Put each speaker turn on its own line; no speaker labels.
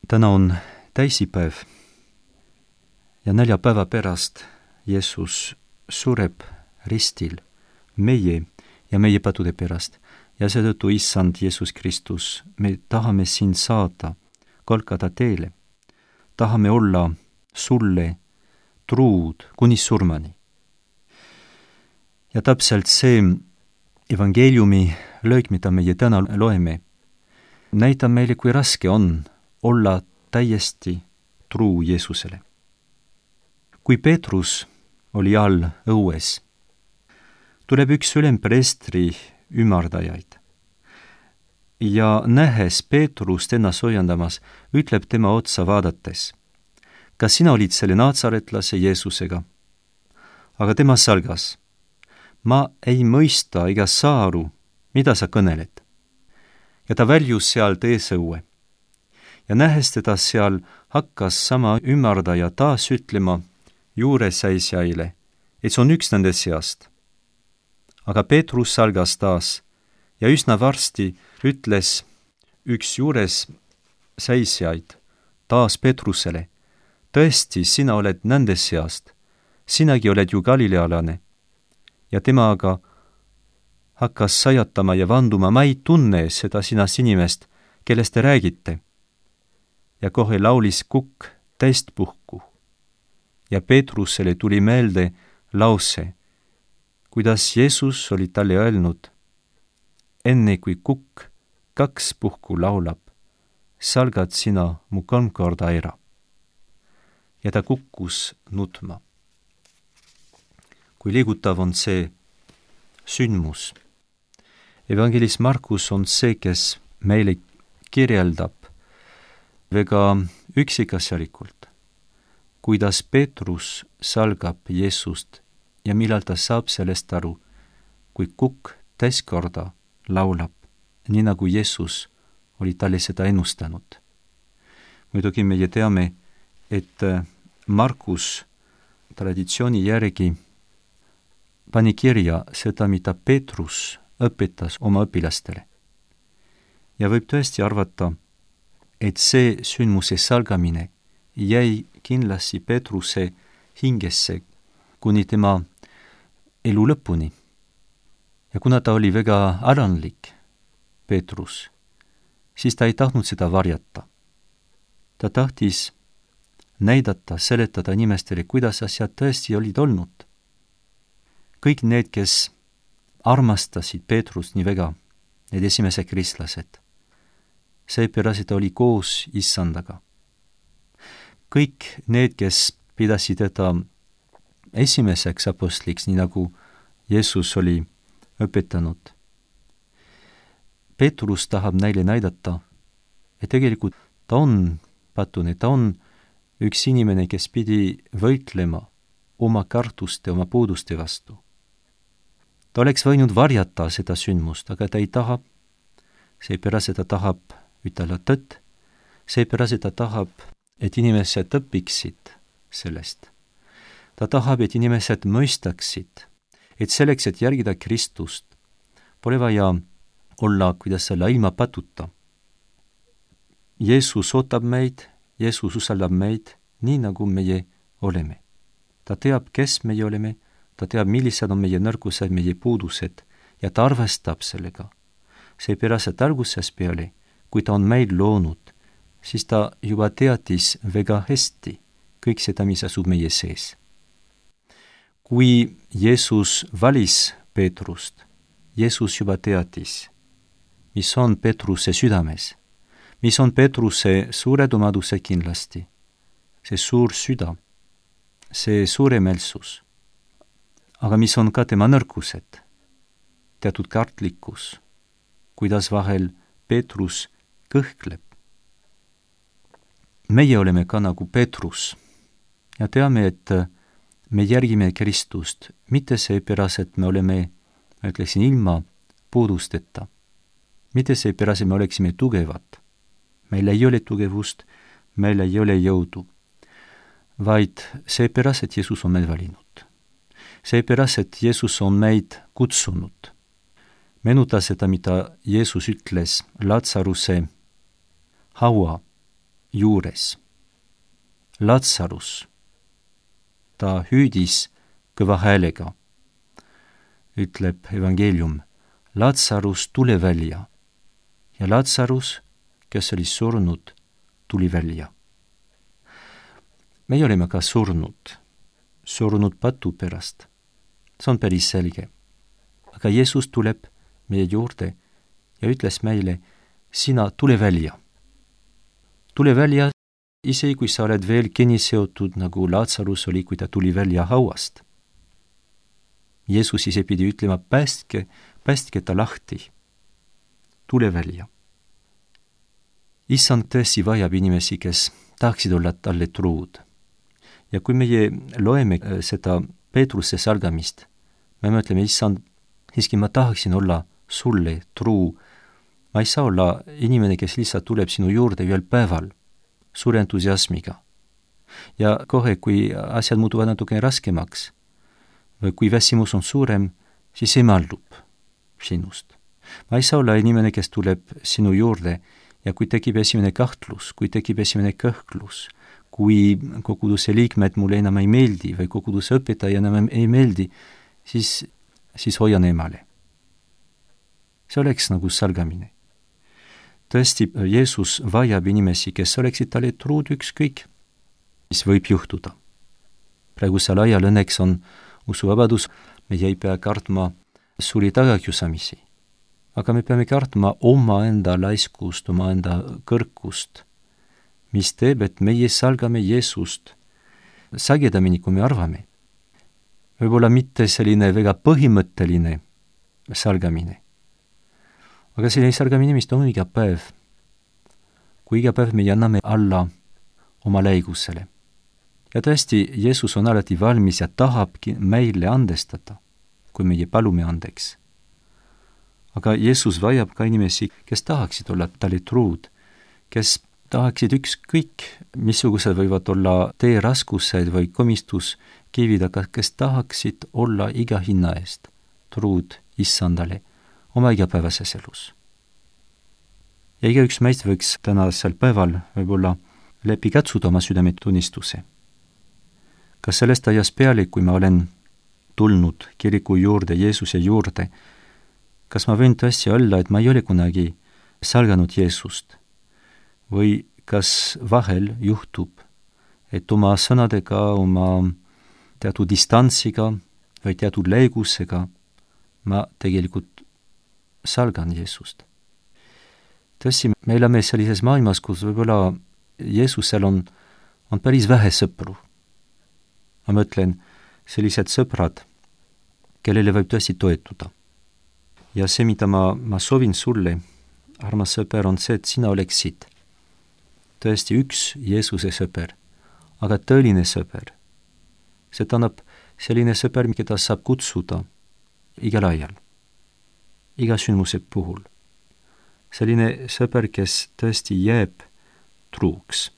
Täna on täisipäev ja 4 päeva pärast Jeesus sureb ristil meie ja meie padude pärast. Ja seetõttu, Issand Jeesus Kristus, me tahame sind saada Golgata teele. Tahame olla sulle truud kuni surmani. Ja täpselt see evangeeliumi lõik, mida meie täna loeme, näitab meile, kui raske on olla täiesti truu Jeesusele. Kui Peetrus oli all õues, tuleb üks ülempreestri ümardajaid ja nähes Peetrust ennast hoiandamas, ütleb tema otsa vaadates: kas sina olid selle naatsaretlase Jeesusega? Aga tema salgas: ma ei mõista ega saa aru, mida sa kõneled. Ja ta väljus sealt eesõue. Ja nähes teda seal, hakkas sama ümardaja taas ütlema juuresäisjaile, et see on üks nende seast. Aga Peetrus salgas taas ja üsna varsti ütles üks juures säisjaid taas Peetrusele: tõesti, sina oled nende seast, sinagi oled ju galilealane. Ja tema aga hakkas sajatama ja vanduma: ma ei tunne seda sinast inimest, kellest te räägite. Ja kohe laulis kukk täistpuhku. Ja Peetrusele tuli meelde lause, kuidas Jeesus oli talle öelnud: enne kui kukk 2 puhku laulab, salgad sina mu 3 korda ära. Ja ta kukkus nutma. Kui liigutav on see sündmus. Evangelist Markus on see, kes meile kirjeldab väga üksikasjalikult, kuidas Peetrus salgab Jeesust ja millal ta saab sellest aru, kui kukk täiskorda laulab, nii nagu Jeesus oli talle seda ennustanud. Muidugi meie teame, et Markus traditsiooni järgi pani kirja seda, mida Peetrus õpetas oma õpilastele. Ja võib tõesti arvata, et see sündmuse salgamine jäi kindlasti Peetruse hingesse kuni tema elu lõpuni. Ja kuna ta oli väga alanlik, Peetrus, siis ta ei tahtnud seda varjata. Ta tahtis näidata, seletada inimestele, kuidas asjad tõesti olid olnud. Kõik need, kes armastasid Peetrust nii väga, need esimesed kristlased, seepärast ta oli koos Issandaga. Kõik need, kes pidasid teda esimeseks apostliks, nii nagu Jeesus oli õpetanud. Peetrus tahab neile näidata, et tegelikult ta on patune, ta on üks inimene, kes pidi võitlema oma kartuste, oma puuduste vastu. Ta oleks võinud varjata seda sündmust, aga ta ei taha, seepärast ta tahab ütelda tõtt, seepärast ta tahab, et inimesed õpiksid sellest. Ta tahab, et inimesed mõistaksid, et selleks, et järgida Kristust, pole vaja olla, kuidas selle ilma patuta. Jeesus ootab meid, Jeesus usaldab meid nii, nagu meie oleme. Ta teab, kes meie oleme, ta teab, millised on meie nõrkused, meie puudused ja ta arvestab sellega. Seepärast, et algusest peale, kui ta on meid loonud, siis ta juba teadis väga hästi kõik seda, mis asub meie sees. Kui Jeesus valis Peetrust, Jeesus juba teadis, mis on Peetruse südames, mis on Peetruse suured omadused kindlasti, see suur süda, see suuremeelsus, aga mis on ka tema nõrkused, teatud kartlikkus, kuidas vahel Peetrus kõhkleb. Meie oleme ka nagu Peetrus ja teame, et me järgime Kristust, mitte seepärast, et me oleme, ma ütleksin, ilma puudusteta, mitte seepärast, et me oleksime tugevad. Meil ei ole tugevust, meil ei ole jõudu, vaid seepärast, et Jeesus on meid valinud. Seepärast, et Jeesus on meid kutsunud. Meenuta seda, mida Jeesus ütles Lazaruse haua juures. Lazarus, ta hüüdis kõva häälega, ütleb evangeelium, Lazarus, tule välja. Ja Lazarus, kes oli surnud, tuli välja. Meie oleme ka surnud patu pärast. See on päris selge. Aga Jeesus tuleb meie juurde ja ütles meile, sina tule välja. Tule välja, isegi kui sa oled veel kinni seotud, nagu Lazarus oli, kui ta tuli välja hauast. Jeesus ise pidi ütlema, päästke ta lahti. Tule välja. Issand tõesti vajab inimesi, kes tahaksid olla talle truud. Ja kui meie loeme seda Peetruse salgamist, me mõtleme, issand, siiski ma tahaksin olla sulle truu. Ma ei saa olla inimene, kes lihtsalt tuleb sinu juurde ühel päeval suure entusiasmiga. Ja kohe, kui asjad muutuvad natuke raskemaks või kui väsimus on suurem, siis emaldub sinust. Ma ei saa olla inimene, kes tuleb sinu juurde ja kui tekib esimene kahtlus, kui tekib esimene kõhklus, kui koguduse liikmed mulle enam ei meeldi või koguduse õpetaja enam ei meeldi, siis hoian emale. See oleks nagu salgamine. Tõesti, Jeesus vajab inimesi, kes oleksid talle truud ükskõik, mis võib juhtuda. Praegusel ajal õnneks on usuvabadus, meie ei pea kartma suuri tagakiusamisi. Aga me peame kartma omaenda laiskust, omaenda kõrkust, mis teeb, et meie salgame Jeesust sagedamini, kui me arvame. Võib-olla mitte selline väga põhimõtteline salgamine. Aga selline salgamine, mis on iga päev. Kui iga päev me anname alla oma läigusele. Ja tõesti, Jeesus on alati valmis ja tahabki meile andestada, kui meie palume andeks. Aga Jeesus vajab ka inimesi, kes tahaksid olla talle truud, kes tahaksid ükskõik, missugused võivad olla tee raskused või komistuskivid, aga kes tahaksid olla iga hinna eest truud issandale oma igapäevases elus. Ja igaüks meist võiks tänasel päeval võib-olla läbi katsuda oma südametunnistuse. Kas sellest ajast peale, kui ma olen tulnud kiriku juurde, Jeesuse juurde, kas ma võin tõesti olla, et ma ei ole kunagi salganud Jeesust? Või kas vahel juhtub, et oma sõnadega, oma teatud distantsiga või teatud läigusega ma tegelikult salgan Jeesust. Tõesti, me elame sellises maailmas, kus võib-olla Jeesusel on päris vähe sõpru. Ma mõtlen, sellised sõbrad, kellele võib tõesti toetuda. Ja see, mida ma soovin sulle, armas sõber, on see, et sina oleksid tõesti üks Jeesuse sõber, aga tõeline sõber. See tähendab selline sõber, keda saab kutsuda igal ajal, iga sündmuse puhul. Selline sõber, kes tõesti jääb truuks.